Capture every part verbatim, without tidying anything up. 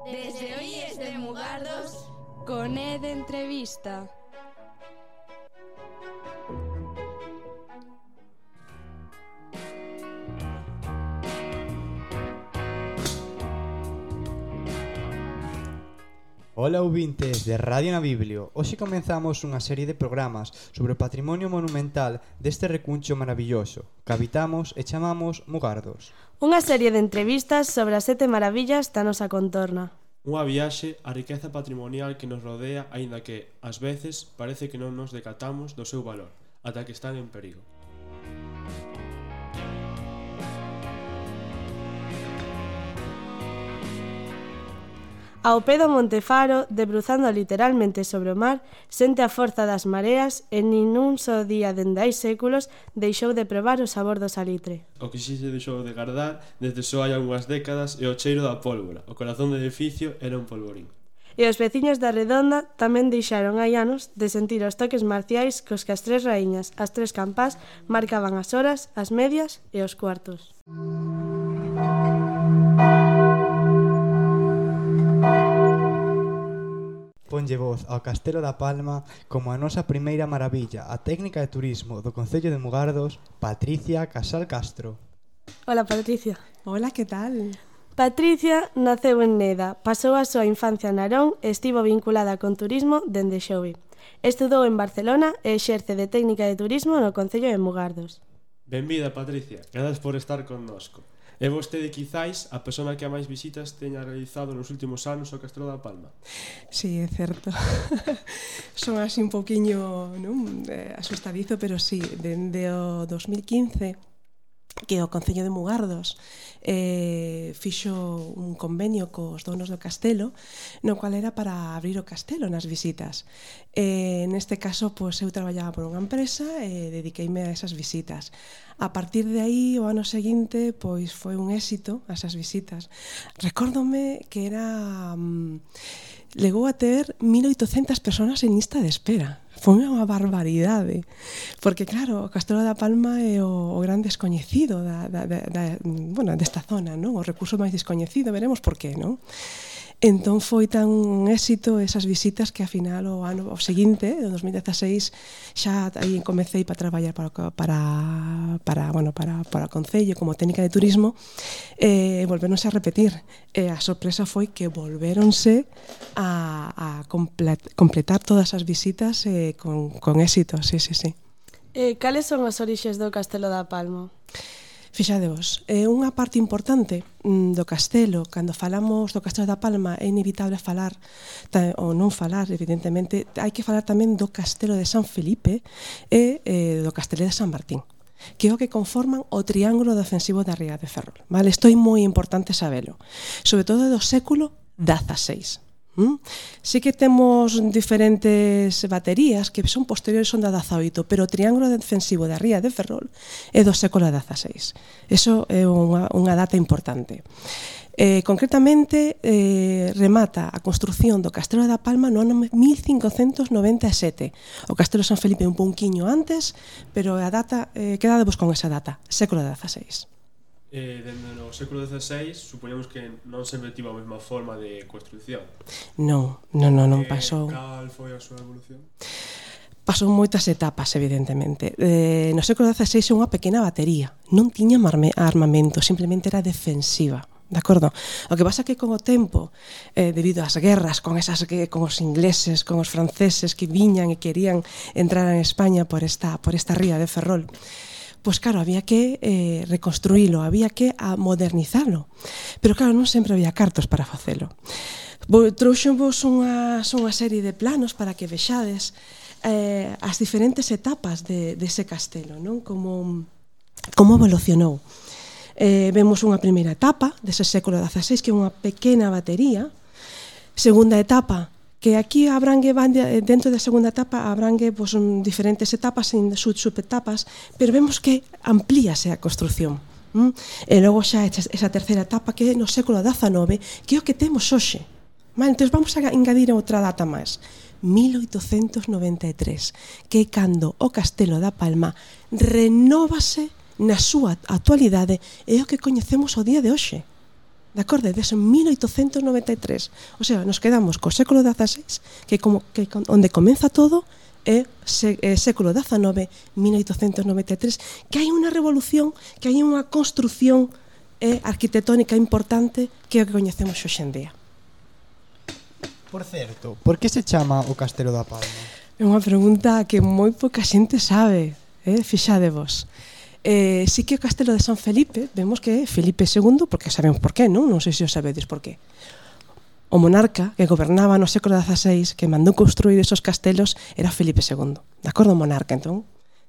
Desde Oíes de Mugardos, con E de Entrevista. Ola ouvintes de Radio Nabiblio. Hoxe comenzamos unha serie de programas sobre o patrimonio monumental deste recuncho maravilloso que habitamos e chamamos Mugardos. Unha serie de entrevistas sobre as sete maravillas da nosa contorna. Unha viaxe á riqueza patrimonial que nos rodea, aínda que, ás veces, parece que non nos decatamos do seu valor, ata que están en perigo. Ao pé do Monte Faro, debruzando literalmente sobre o mar, sente a forza das mareas e nin un só día dende hai séculos deixou de probar o sabor do salitre. O que si se deixou de gardar desde só hai algunhas décadas é o cheiro da pólvora. O corazón do edificio era un polvorín. E os veciños da Redonda tamén deixaron hai anos de sentir os toques marciais cos que as tres raíñas, as tres campás, marcaban as horas, as medias e os cuartos. Ponlle voz ao Castelo da Palma como a nosa primeira maravilla, a técnica de turismo do Concello de Mugardos, Patricia Casal Castro. Hola, Patricia. Hola, que tal? Patricia naceu en Neda, pasou a súa infancia en Narón e estivo vinculada con turismo dende xove. Estudou en Barcelona e exerce de técnica de turismo no Concello de Mugardos. Benvida, Patricia. Grazas por estar connosco. É vostede, quizáis, a persona que a máis visitas teña realizado nos últimos anos o Castelo da Palma? Sí, é certo. Son así un pouquiño, non, eh, asustadizo, pero sí, dende o dos mil quince que o Concello de Mugardos eh, fixo un convenio cos donos do castelo, no cual era para abrir o castelo nas visitas. Eh, neste caso, pois, eu traballaba por unha empresa e dediqueime a esas visitas. A partir de aí, o ano seguinte, pois foi un éxito esas visitas. Recórdome que era... Um, legou a ter mil oitocentas persoas en lista de espera. Foi unha barbaridade. Porque, claro, o Castelo da Palma é o, o gran descoñecido da, da, da, da, bueno, desta zona, non? O recurso máis descoñecido, veremos por qué, non? Entón foi tan un éxito esas visitas que, ao final, o ano o seguinte, o dos mil dieciséis, xa aí comecei para traballar para, para, para, bueno, para, para o Concello como técnica de turismo e eh, volveronse a repetir. E a sorpresa foi que volveronse a, a complet, completar todas as visitas eh, con, con éxito, sí, sí, sí. E cales son os orixes do Castelo da Palma? Fixadevos, é unha parte importante do castelo, cando falamos do Castelo da Palma é inevitable falar, ou non falar, evidentemente, hai que falar tamén do Castelo de San Felipe e eh, do Castelo de San Martín, que é o que conforman o triángulo defensivo da Ría de Ferrol. Vale? Isto é moi importante sabelo, sobre todo do século dezaseis. ¿Mm? Sí que temos diferentes baterías que son posteriores son da dezaoito, pero o triángulo defensivo da Ría de Ferrol é do século dezaseis. Eso é unha, unha data importante. Eh, concretamente, eh, remata a construción do Castelo da Palma no ano mil cincocentos noventa e sete. O Castelo de San Felipe un pouquiño antes, pero a data, eh, quedadevos con esa data, século dezaseis. Eh, dende no século dezaseis, supoñemos que non sempre tivo a mesma forma de construción. Non, non, non, non eh, pasou. Cal foi a súa evolución? Pasou moitas etapas, evidentemente. Eh, no século dezaseis é unha pequena batería. Non tiña armamento, simplemente era defensiva. De acordo? O que pasa é que con o tempo, eh, debido ás guerras con esas con os ingleses, con os franceses que viñan e querían entrar en España por esta por esta ría de Ferrol, pois claro, había que eh, reconstruílo, había que a modernizalo. Pero claro, non sempre había cartos para facelo. Trouxenvos unha, unha serie de planos para que vexades eh, as diferentes etapas de, dese castelo, non? Como, como evolucionou. Eh, vemos unha primeira etapa dese século dezaseis, que é unha pequena batería. Segunda etapa, que aquí abrangue, dentro da segunda etapa, abrangue pues, diferentes etapas, subetapas, pero vemos que amplíase a construción. ¿Mm? E logo xa esa terceira etapa, que é no século dezanove, que é o que temos hoxe. Vale, entón vamos a engadir outra data máis. mil oitocentos noventa e tres, que é cando o Castelo da Palma renóvase na súa actualidade e é o que coñecemos o día de hoxe. de acordo? Desde mil oitocentos noventa e tres. O sea, nos quedamos co século dezaseis, que como que onde comeza todo é se, é século dezanove, mil oitocentos noventa e tres, que hai unha revolución, que hai unha construción eh, arquitectónica importante que é o que coñecemos hoxe en día. Por certo, por que se chama o Castelo da Palma? É unha pregunta que moi pouca xente sabe, eh? Fixadevos. Eh, sí que o Castelo de San Felipe, vemos que é Felipe segundo, porque sabemos por qué, non? Non sei se o sabedes por qué. O monarca que gobernaba no século dezaseis, que mandou construir esos castelos, era Felipe segundo. De acordo, o monarca, entón,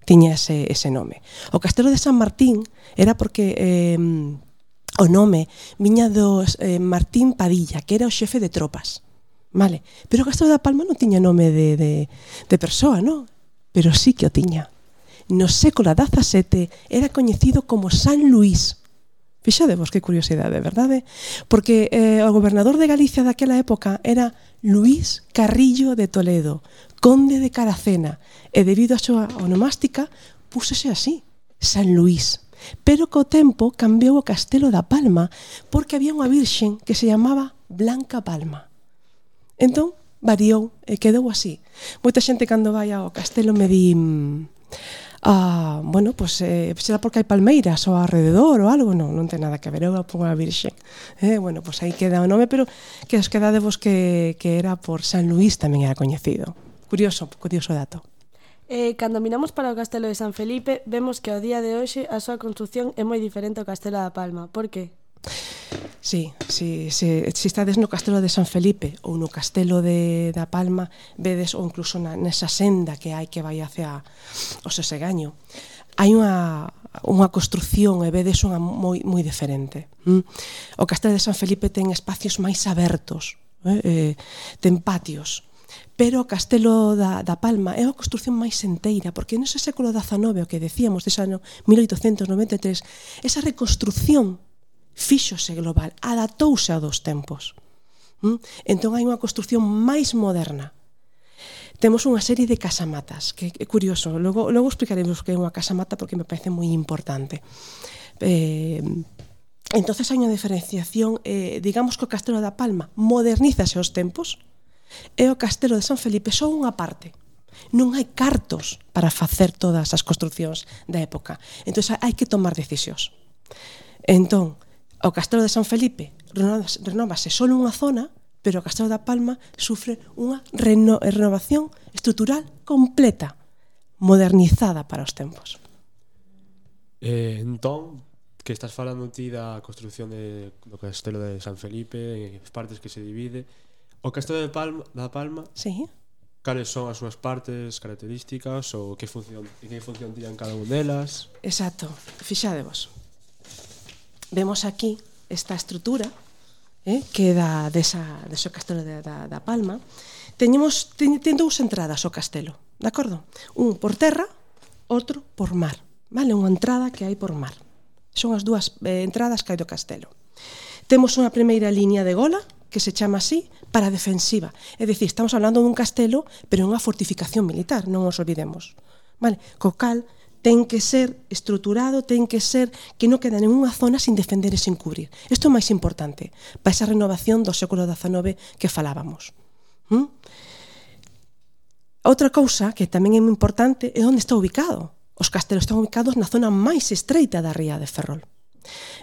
tiña ese, ese nome. O Castelo de San Martín era porque eh, o nome viña dos eh, Martín Padilla, que era o xefe de tropas. Vale? Pero o Castelo da Palma non tiña nome de, de, de persoa, non? Pero sí que o tiña. No século dezasete era coñecido como San Luís. Fixadevos que curiosidade, verdade? Porque eh, o gobernador de Galicia daquela época era Luís Carrillo de Toledo, conde de Caracena, e debido a súa onomástica púsese así, San Luís. Pero co tempo cambiou o Castelo da Palma porque había unha virxen que se chamaba Blanca Palma. Entón, variou e quedou así. Moita xente cando vai ao castelo me di... Ah, bueno, pues eh, será porque hai palmeiras ao alrededor ou algo, non, non ten nada que ver, eu pongo a virxe. Eh, bueno, pues aí queda o nome, pero que os quedadevos que, que era por San Luís tamén era coñecido. Curioso, curioso dato. Eh, cando miramos para o Castelo de San Felipe, vemos que ao día de hoxe a súa construción é moi diferente ao Castelo da Palma. Por que? Sí, si, si, si estades no Castelo de San Felipe ou no Castelo de, da Palma, vedes, ou incluso na, nesa senda que hai que vai hacia o Sesegaño, hai unha, unha construción e vedes unha moi, moi diferente. Mm? O Castelo de San Felipe ten espacios máis abertos, eh? Eh, ten patios, pero o Castelo da, da Palma é unha construción máis enteira, porque nese século dezanove, o que decíamos dese ano mil oitocentos noventa e tres, esa reconstrucción fíxose global, adaptouse a dos tempos. ¿Mm? Entón hai unha construción máis moderna. Temos unha serie de casamatas, que é curioso, logo, logo explicaremos que é unha casamata porque me parece moi importante. Eh, entonces hai unha diferenciación, eh, digamos que o Castelo da Palma modernízase aos tempos e o Castelo de San Felipe só unha parte. Non hai cartos para facer todas as construcións da época. Entón hai que tomar decisións. Entón, o Castelo de San Felipe renovase só unha zona, pero o Castelo da Palma sufre unha reno renovación estrutural completa, modernizada para os tempos. Eh, entón, que estás falando ti da construción de, do Castelo de San Felipe, as partes que se divide, o Castelo de Palma, da Palma, sí. Cales son as súas partes, características, ou que función, que función tiñan cada unha delas? Exacto, fixadevos. Vemos aquí esta estrutura eh, que da desa, desa Castelo da, da, da Palma. Teñemos, ten, ten dous entradas ao castelo, de acordo? Un por terra, outro por mar. Vale, unha entrada que hai por mar. Son as dúas eh, entradas que hai do castelo. Temos unha primeira liña de gola, que se chama así, para defensiva. É dicir, estamos hablando dun castelo, pero unha fortificación militar, non os olvidemos. Vale, co cal ten que ser estruturado, ten que ser que non queda ninguna zona sin defender e sin cubrir. Isto é o máis importante para esa renovación do século dezanove que falábamos. ¿Mm? Outra cousa que tamén é moi importante é onde está ubicado. Os castelos están ubicados na zona máis estreita da ría de Ferrol.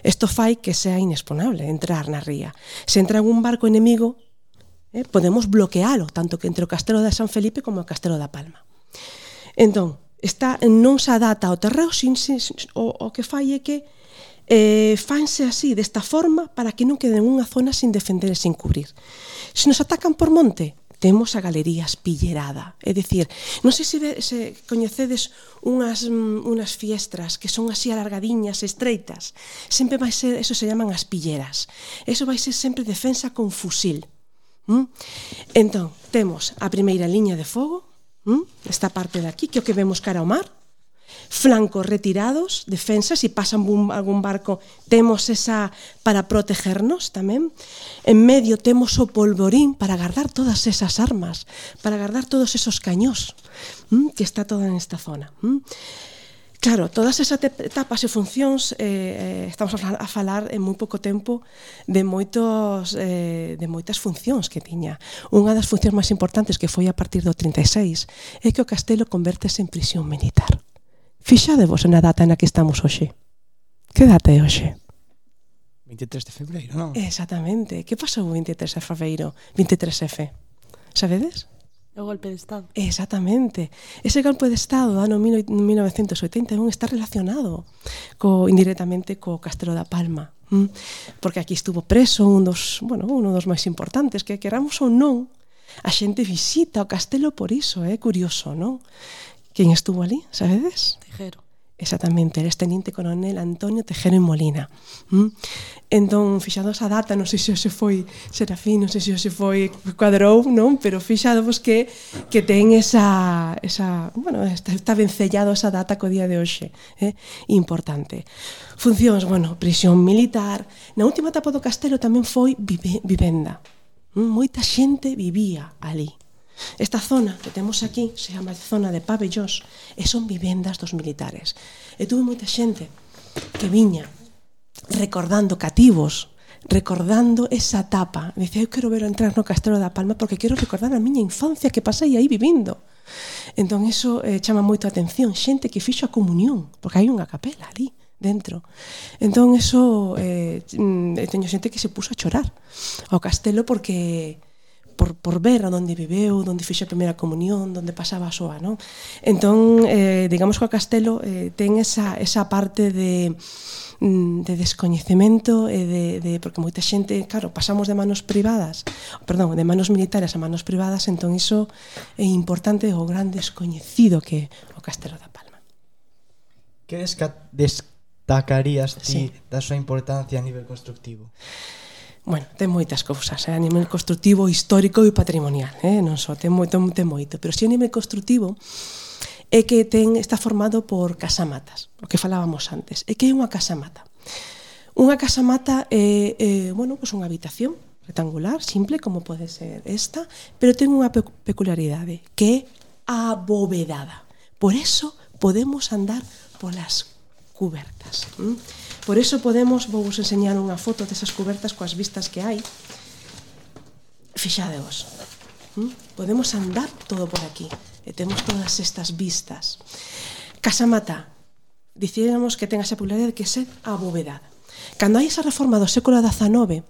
Isto fai que sea inexponable entrar na ría. Se entra un barco enemigo, eh, podemos bloquealo, tanto que entre o Castelo de San Felipe como o Castelo da Palma. Entón, está, non se adapta ao terreo, sin, sin, o, o que fai é que eh, fanse así, desta forma, para que non quede unha zona sin defender e sin cubrir. Se nos atacan por monte, temos a galería espillerada. É dicir, non sei se, se coñecedes unhas, unhas fiestras que son así alargadiñas, estreitas. Sempre vai ser, eso se llaman as pilleras. Eso vai ser sempre defensa con fusil. ¿Mm? Entón, temos a primeira liña de fogo, ¿Mm? esta parte de aquí, que é o que vemos cara ao mar, flancos retirados, defensas, se pasan un, algún barco temos esa para protegernos tamén. En medio temos o polvorín para guardar todas esas armas, para guardar todos esos cañós, ¿m? que está toda nesta zona. ¿m? Claro, todas esas etapas e funcións eh, estamos a falar, a falar en moi pouco tempo de moitos eh, de moitas funcións que tiña. Unha das funcións máis importantes, que foi a partir do trinta e seis, é que o castelo convértese en prisión militar. Fixadevos na data na que estamos hoxe. Que data é hoxe? vinte e tres de febreiro, non? Exactamente. Que pasou o vinte e tres de febreiro? vinte e tres F. Sabedes? O golpe de Estado. Exactamente. Ese golpe de Estado do ano mil novecentos oitenta e un está relacionado co, indirectamente co Castelo da Palma. ¿m? Porque aquí estuvo preso un dos, bueno, uno dos máis importantes, que queramos ou non, a xente visita o castelo por iso, é eh? curioso, non? Quen estuvo ali, sabedes? Tejero. Exactamente, eres teniente coronel Antonio Tejero y Molina. ¿Mm? Entón, fixado esa data, non sei se hoxe foi Serafín, non sei se hoxe foi Cuadrou, non? Pero fixadovos que que ten esa, esa bueno, está, está vencellado esa data co día de hoxe, eh? Importante. Funcións, bueno, prisión militar. Na última etapa do castelo tamén foi vive, vivenda. ¿Mm? Moita xente vivía ali. Esta zona que temos aquí se chama zona de pabellós e son vivendas dos militares. E tuve moita xente que viña recordando cativos, recordando esa etapa. Dicía, eu quero ver entrar no Castelo da Palma porque quero recordar a miña infancia que pasei aí vivindo. Entón, iso eh, chama moito a atención. Xente que fixo a comunión, porque hai unha capela ali dentro. Entón, iso eh, teño xente que se puso a chorar ao castelo porque... Por, por ver a onde viveu, onde fixe a primeira comunión, onde pasaba a súa, non? Entón, eh, digamos que o castelo eh, ten esa, esa parte de, de descoñecemento e de, de, porque moita xente, claro, pasamos de manos privadas, perdón, de manos militares a manos privadas, entón iso é importante o gran descoñecido que é o Castelo da Palma. Que desca- destacarías ti Sí. da súa importancia a nivel constructivo? Bueno, ten moitas cousas, eh? A nivel constructivo, histórico e patrimonial, eh? Non só, ten moito, ten moito, pero si a nivel constructivo é que ten, está formado por casamatas, o que falábamos antes. É que é unha casamata. Unha casamata é, é bueno, pues unha habitación rectangular, simple, como pode ser esta, pero ten unha pe- peculiaridade, que é abovedada. Por eso podemos andar polas cubertas. ¿m? Por eso podemos, vou vos enseñar unha foto desas cubertas coas vistas que hai. Fixadevos. ¿m? Podemos andar todo por aquí. E temos todas estas vistas. Casamata. Dicíamos que ten esa peculiaridade que é ser abovedada. Cando hai esa reforma do século dezanove,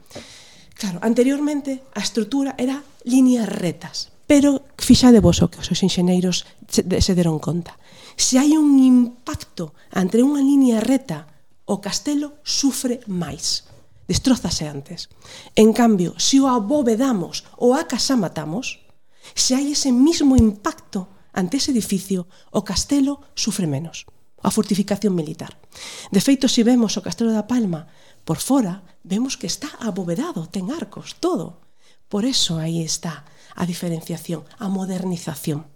claro, anteriormente a estrutura era líneas retas. Pero fixadevos o que os seus enxeneiros se deron conta. Se hai un impacto entre unha línea reta, o castelo sufre máis, destrózase antes. En cambio, se o abovedamos ou a casamatamos, se hai ese mismo impacto ante ese edificio, o castelo sufre menos. A fortificación militar. De feito, se vemos o Castelo da Palma por fora, vemos que está abovedado, ten arcos, todo. Por eso aí está a diferenciación, a modernización.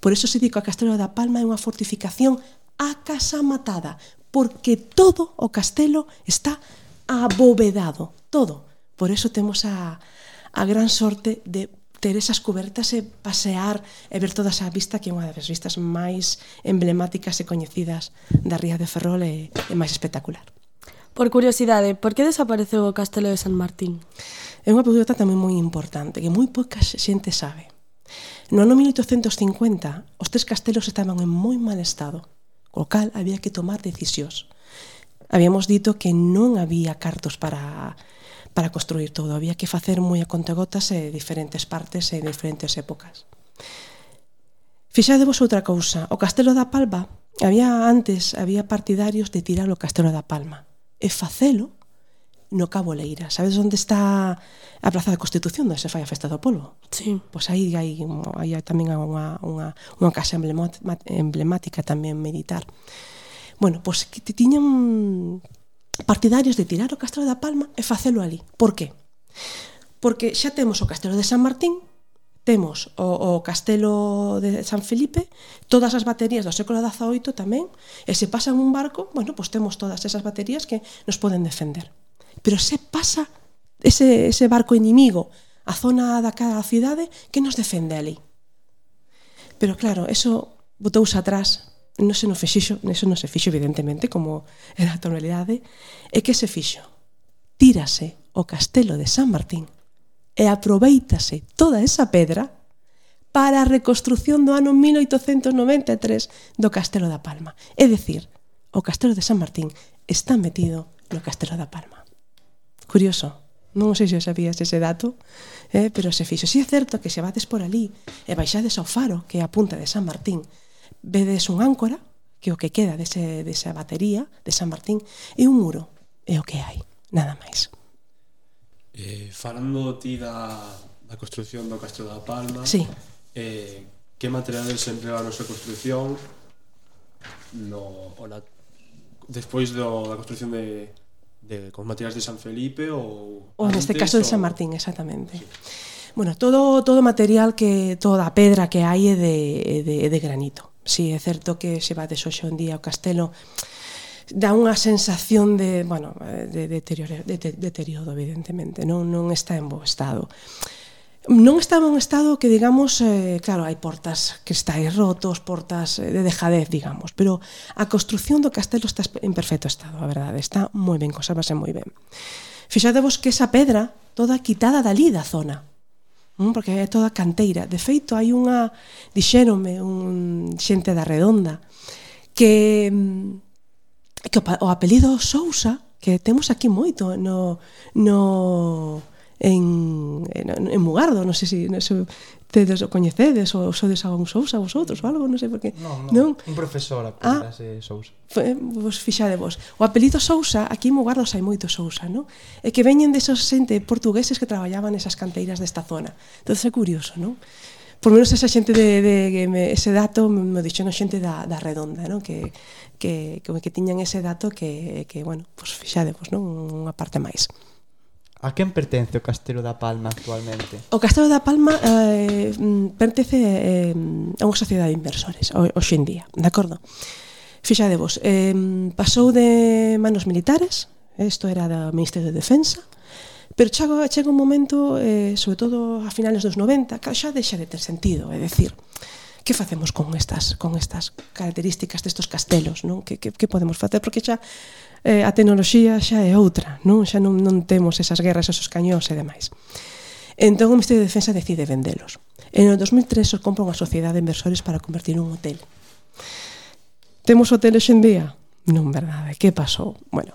Por eso se di que o Castelo da Palma é unha fortificación acasamatada, porque todo o castelo está abovedado, todo. Por eso temos a, a gran sorte de ter esas cubertas e pasear e ver toda esa vista que é unha das vistas máis emblemáticas e coñecidas da Ría de Ferrol e, e máis espectacular. Por curiosidade, por que desapareceu o Castelo de San Martín? É unha pregunta tamén moi importante, que moi pouca xente sabe. No ano mil oitocentos cincuenta, os tres castelos estaban en moi mal estado, co cal había que tomar decisións. Habíamos dito que non había cartos para, para construir todo, había que facer moi a contagotas e diferentes partes e diferentes épocas. Fixadevos outra cousa, o Castelo da Palma, había antes, había partidarios de tirar o Castelo da Palma e facelo no Cabo Leira. Sabes onde está a Praza da Constitución, onde se fai a Festa do Polvo? Sí. Pois aí hai, hai tamén unha, unha, unha casa emblemática tamén militar. Bueno, pois que tiñan partidarios de tirar o Castelo da Palma e facelo ali. Por qué? Porque xa temos o Castelo de San Martín, temos o, o Castelo de San Felipe, todas as baterías do século dezaoito tamén, e se pasa en un barco, bueno, pois temos todas esas baterías que nos poden defender. Pero se pasa ese, ese barco inimigo a zona da cada cidade, que nos defende ali? Pero claro, eso botouse atrás non se non fixo, eso non se fixo evidentemente, como era a tonalidade, é que se fixo. Tírase o castelo de San Martín e aproveítase toda esa pedra para a reconstrucción do ano mil oitocentos noventa e tres do Castelo da Palma. É dicir, o Castelo de San Martín está metido no Castelo da Palma. Curioso. Non sei se sabías ese dato, eh, pero se fixo. Si é certo que se vades por ali e baixades ao faro, que é a punta de San Martín, vedes un áncora, que é o que queda dese, desa batería de San Martín, e un muro, é o que hai, nada máis. Eh, falando ti da, da construcción do Castelo da Palma, sí. eh, que materiales se empregaron na súa construcción no, na, despois do, da construcción de, de con materiais de San Felipe ou ou neste caso de San Martín, exactamente. Sí. Bueno, todo todo material que toda a pedra que hai é de, de, de granito. Si, sí, é certo que se vades hoxe en día o castelo dá unha sensación de, bueno, de deterioro, de, de deterioro evidentemente, non, non está en bo estado. Non está en un estado que, digamos, eh, claro, hai portas que estáis rotos, portas de dejadez, digamos, pero a construcción do castelo está en perfecto estado, a verdade, está moi ben, conservase moi ben. Fixadevos que esa pedra toda quitada dali da zona, porque é toda canteira. De feito, hai unha, dixéronme, un xente da Redonda, que, que o apelido Sousa, que temos aquí moito no, no, en, en Mugardo, non sei se non sei, tedes o coñecedes ou sodes a un Sousa vosotros ou algo, non sei por que. Non, non, non? Un profesor apelidase ah, Sousa. Vos fixadevos. O apelido Sousa, aquí en Mugardos hai moito Sousa, non? E que veñen desos xente portugueses que traballaban nesas canteiras desta zona. Entón é curioso, non? Por menos esa xente de, de, de ese dato me dixeron xente da, da Redonda, non? Que, que, que, que tiñan ese dato que, que bueno, pues fixadevos, non? Unha parte máis. A quen pertence o Castelo da Palma actualmente? O Castelo da Palma eh, pertence eh, a unha sociedade de inversores hoxe en día, de acordo? Fixadevos, eh, pasou de manos militares, isto era do Ministerio de Defensa, pero chega, chega un momento, eh, sobre todo a finales dos noventa, que xa deixa de ter sentido, é dicir, que facemos con estas con estas características destos castelos, non? Que, que, que podemos facer? Porque xa eh, a tecnoloxía xa é outra, non? Xa non, non temos esas guerras, esos cañóns e demais. Entón o Ministerio de Defensa decide vendelos. En o dos mil tres os compra unha sociedade de inversores para convertir un hotel. Temos hotel hoxe en día? Non, verdade. Que pasou? Bueno,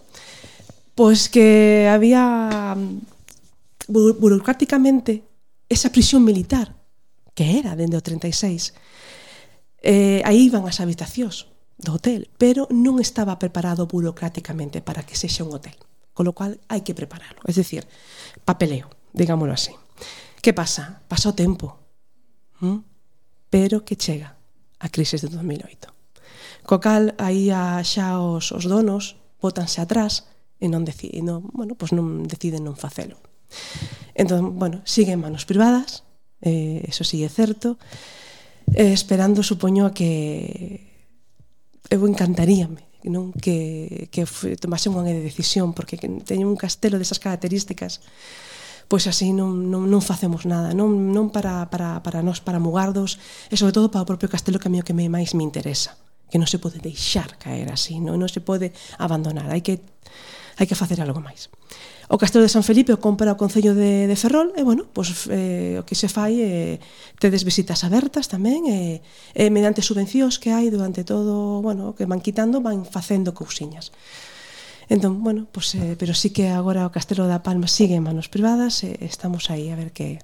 pois que había buro burocráticamente esa prisión militar que era dende o treinta e seis. Eh, aí iban as habitacións do hotel, pero non estaba preparado burocráticamente para que sexa un hotel, con lo cual hai que preparalo, es decir, papeleo, digámoslo así. Que pasa? Pasa o tempo, ¿Mm? pero que chega a crisis de dos mil oito. Co cal, aí a, xa os, os donos bótanse atrás e non deciden, non, bueno, pues non deciden non facelo. Entón, bueno, siguen manos privadas, eh, eso sí é certo, eh, esperando, supoño, a que eu encantaríame non que, que tomase unha decisión, porque teño un castelo desas características, pois así non, non, non facemos nada, non, non para, para, para nós, para Mugardos, e sobre todo para o propio castelo, que a mí o que máis me interesa, que non se pode deixar caer así, non, non se pode abandonar, hai que, hai que facer algo máis. O Castelo de San Felipe o compra o Concello de, de Ferrol e, bueno, pois, eh, o que se fai é eh, tedes visitas abertas tamén e, eh, mediante subvencións que hai durante todo, bueno, que van quitando, van facendo cousiñas. Entón, bueno, pois, eh, pero sí que agora o Castelo da Palma sigue en manos privadas e estamos aí a ver que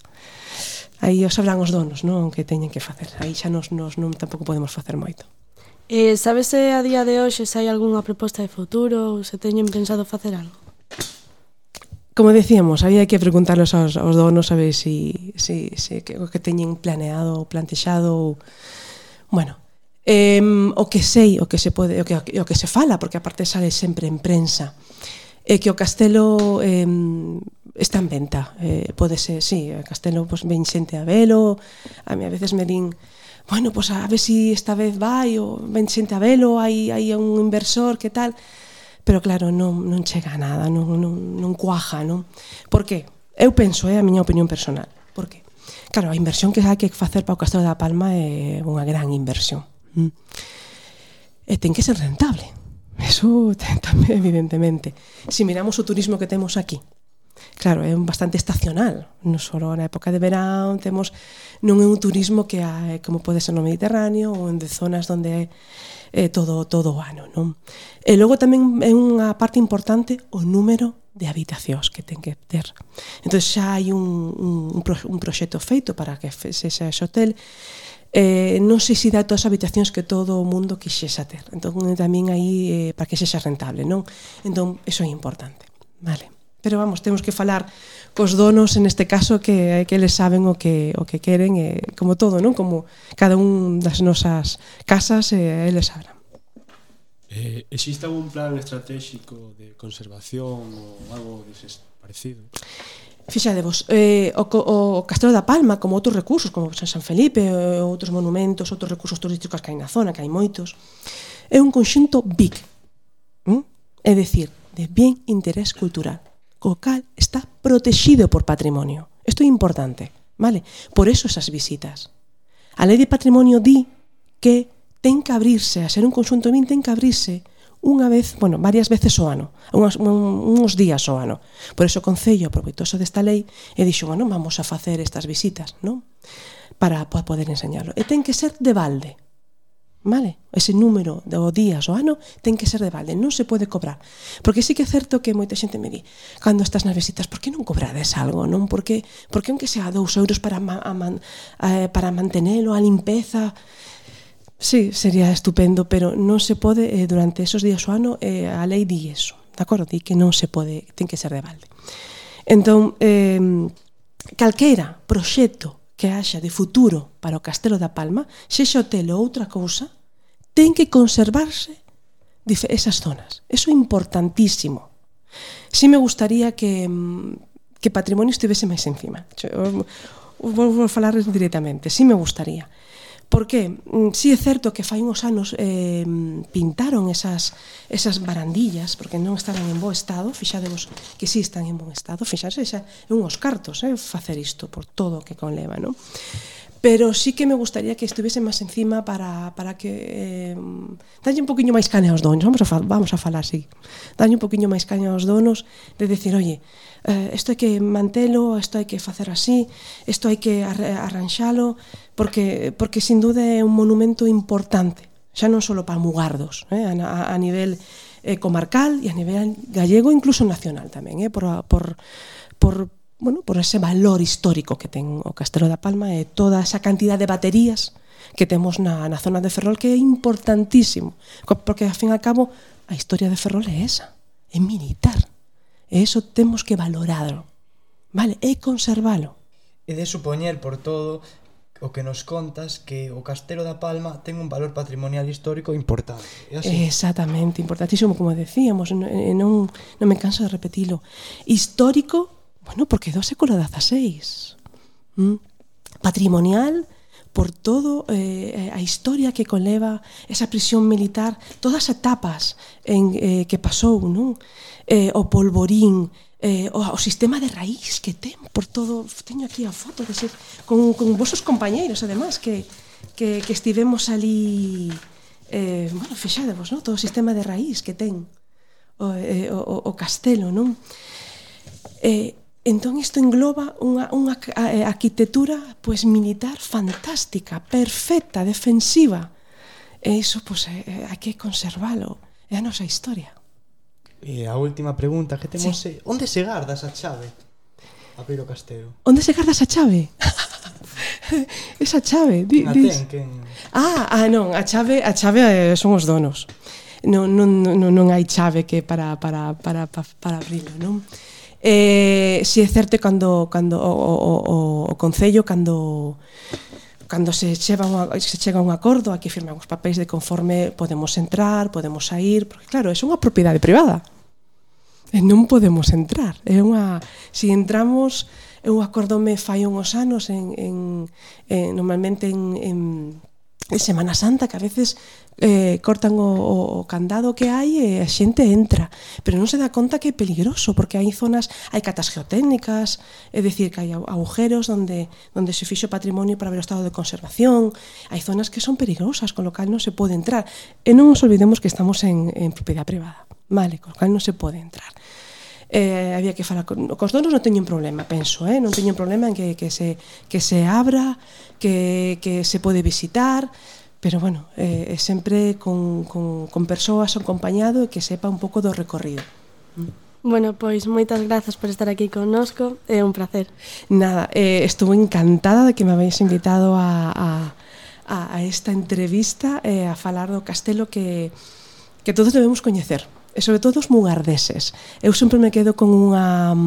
aí os sabrán os donos, non, que teñen que facer. Aí xa nos, nos non tampouco podemos facer moito. Eh, sabes se a día de hoxe se hai algunha proposta de futuro ou se teñen pensado facer algo? Como decíamos, había que preguntarlos aos, aos donos a ver si, si, si que, o que teñen planeado ou plantexado ou, bueno, eh, o que sei, o que se pode, o que, o que se fala, porque aparte sale sempre en prensa, é que o castelo eh, está en venta, eh, pode ser, sí, o castelo pues, ven xente a velo, a mí a veces me din, bueno, pues a ver si esta vez vai, ou ven xente a velo, hai, hai un inversor, que tal. Pero claro, non, non chega a nada, non, non, non cuaja, non? Por que? Eu penso, é a miña opinión personal. Por que? Claro, a inversión que hai que facer para o Castelo da Palma é unha gran inversión. e ten que ser rentable. Eso tamén, evidentemente. Se miramos o turismo que temos aquí, claro, é bastante estacional. Non só na época de verán temos, non é un turismo que hai, como pode ser no Mediterráneo ou en de zonas onde é eh, todo, todo o ano, non? E logo tamén é unha parte importante o número de habitacións que ten que ter. Entón xa hai un, un, un proxecto feito para que sexa ese hotel. Eh, non sei se dá todas as habitacións que todo o mundo quixesa ter. Entón tamén aí eh, para que sexa rentable, non? Entón eso é importante, vale? Pero vamos, temos que falar cos donos en este caso que que eles saben o que o que queren, eh, como todo, non? Como cada un das nosas casas, eh, eles sabrán. Eh, existe algún plan estratégico de conservación ou algo deses parecido? Fixadevos, eh, o, o Castelo da Palma, como outros recursos, como San Felipe, outros monumentos, outros recursos turísticos que hai na zona, que hai moitos, é un conxunto B I C, ¿Mm? é dicir, de bien interés cultural, co cal está protegido por patrimonio. Isto é importante, vale? Por eso esas visitas. A Lei de Patrimonio di que ten que abrirse, a ser un conxunto B I C ten que abrirse unha vez, bueno, varias veces ao ano, unhas, un, uns días ao ano. Por eso o Concello aproveitouse desta lei e dixo, bueno, vamos a facer estas visitas, non? Para, para poder enseñarlo. E ten que ser de balde, vale? Ese número de días ao ano ten que ser de balde, non se pode cobrar. Porque sí que é certo que moita xente me di, cando estás nas visitas, por que non cobrades algo, non? Porque, porque aunque sea dous euros para, ma, a man, eh, para mantenelo, a limpeza... Sí, sería estupendo, pero non se pode eh, durante esos días ao ano, eh, a lei di eso, de acordo? Di que non se pode, ten que ser de balde. Entón, eh, calquera proxecto que haxa de futuro para o Castelo da Palma, sexa hotel ou outra cousa, ten que conservarse esas zonas. Eso é importantísimo. Si me gustaría que, que patrimonio estivese máis encima. Vou falar directamente, si me gustaría. Porque si é certo que fai uns anos eh, pintaron esas, esas barandillas porque non estaban en bo estado, fixadevos que si están en bon estado, fixarse, xa é unhos cartos eh, facer isto por todo o que conleva, non? Pero sí que me gustaría que estuviese máis encima para, para que eh, dalle un poquinho máis caña aos donos, vamos a, vamos a falar así, dalle un poquinho máis caña aos donos de decir, oye, eh, isto hai que mantelo, isto hai que facer así, isto hai que arranxalo, porque, porque sin duda é un monumento importante, xa non só para Mugardos, eh, a, a, a nivel eh, comarcal e a nivel gallego, incluso nacional tamén, eh, por, por, por, bueno, por ese valor histórico que ten o Castelo da Palma e toda esa cantidad de baterías que temos na, na zona de Ferrol, que é importantísimo, porque, ao fin e ao cabo, a historia de Ferrol é esa, é militar, e eso temos que valorarlo, vale, e conservalo. E de supoñer por todo o que nos contas que o Castelo da Palma ten un valor patrimonial histórico importante. É así? Exactamente, importantísimo, como decíamos, non, non, non me canso de repetilo. Histórico, bueno, porque do século dieciséis. ¿Mm? Patrimonial, por todo eh, a historia que conleva esa prisión militar, todas as etapas en, eh, que pasou, non? Eh, o polvorín, eh, o, o sistema de raíz que ten por todo, teño aquí a foto de ser, con, con vosos compañeiros además que, que, que estivemos ali eh, bueno, fixadevos, non? Todo o sistema de raíz que ten o, eh, o, o castelo, non? Eh, entón isto engloba unha, unha arquitectura pues, militar fantástica, perfecta, defensiva, e iso pues, eh, hai que conservalo, é a nosa historia. E a última pregunta que temos Sí. é, onde se garda esa chave a abrir o castelo? Onde se garda esa chave? Esa chave, di, Na dis. ten, quen... Ah, ah, non, a chave, a chave eh, son os donos. Non, non, non, non hai chave que para para para para, para abrilo, non? Eh, si é certo cando cando o, o, o, o concello cando cando se chega un se chega a un acordo, aquí firman os papéis de conforme podemos entrar, podemos sair, porque claro, é unha propiedade privada. E non podemos entrar. É unha, si entramos, eu acordome fai uns anos en, en, en normalmente en, en en Semana Santa, que a veces eh, cortan o, o candado que hai e a xente entra, pero non se dá conta que é peligroso, porque hai zonas, hai catas geotécnicas, é dicir, que hai agujeros onde, onde se fixo patrimonio para ver o estado de conservación, hai zonas que son peligrosas, con lo cal non se pode entrar, e non nos olvidemos que estamos en, en propiedade privada, vale, con lo cal non se pode entrar. Eh, había que falar con cos donos, non teñen problema, penso, eh? non teñen problema en que, que, se, que se abra, que, que se pode visitar, pero bueno, eh, sempre con, con, con persoas acompañado e que sepa un pouco do recorrido. Bueno, pois moitas grazas por estar aquí connosco, é un placer. Nada, eh, estuve encantada de que me habéis invitado a, a, a esta entrevista eh, a falar do castelo que, que todos debemos coñecer, e sobre todo os mugardeses. Eu sempre me quedo con unha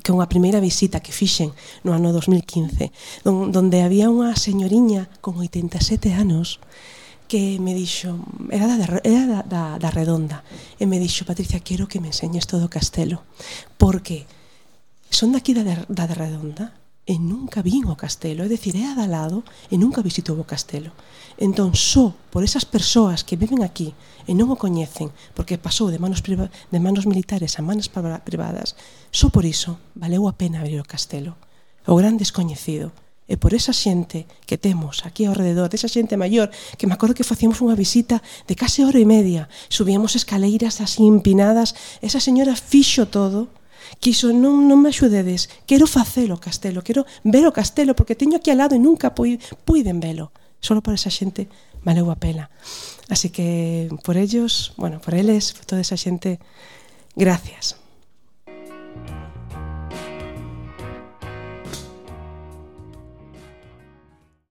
con unha primeira visita que fixen no ano dos mil quince, donde había unha señoriña con oitenta e sete anos que me dixo, era da, era da, da, da Redonda, e me dixo: Patricia, quero que me enseñes todo o castelo, porque son daqui da, da, da Redonda e nunca vin o castelo, é dicir, é a da lado e nunca visitou o castelo. Entón, só por esas persoas que viven aquí e non o coñecen, porque pasou de manos, de manos militares a manos privadas, só por iso valeu a pena abrir o castelo, o gran descoñecido. E por esa xente que temos aquí ao rededor, desa xente maior, que me acordo que facíamos unha visita de case hora e media, subíamos escaleiras así empinadas, esa señora fixo todo, quiso, non, non me axudedes, quero facelo o castelo, quero ver o castelo, porque teño aquí al lado e nunca puiden velo. Solo por esa xente valeu a pena. Así que por ellos, bueno, por eles, por toda esa xente, gracias.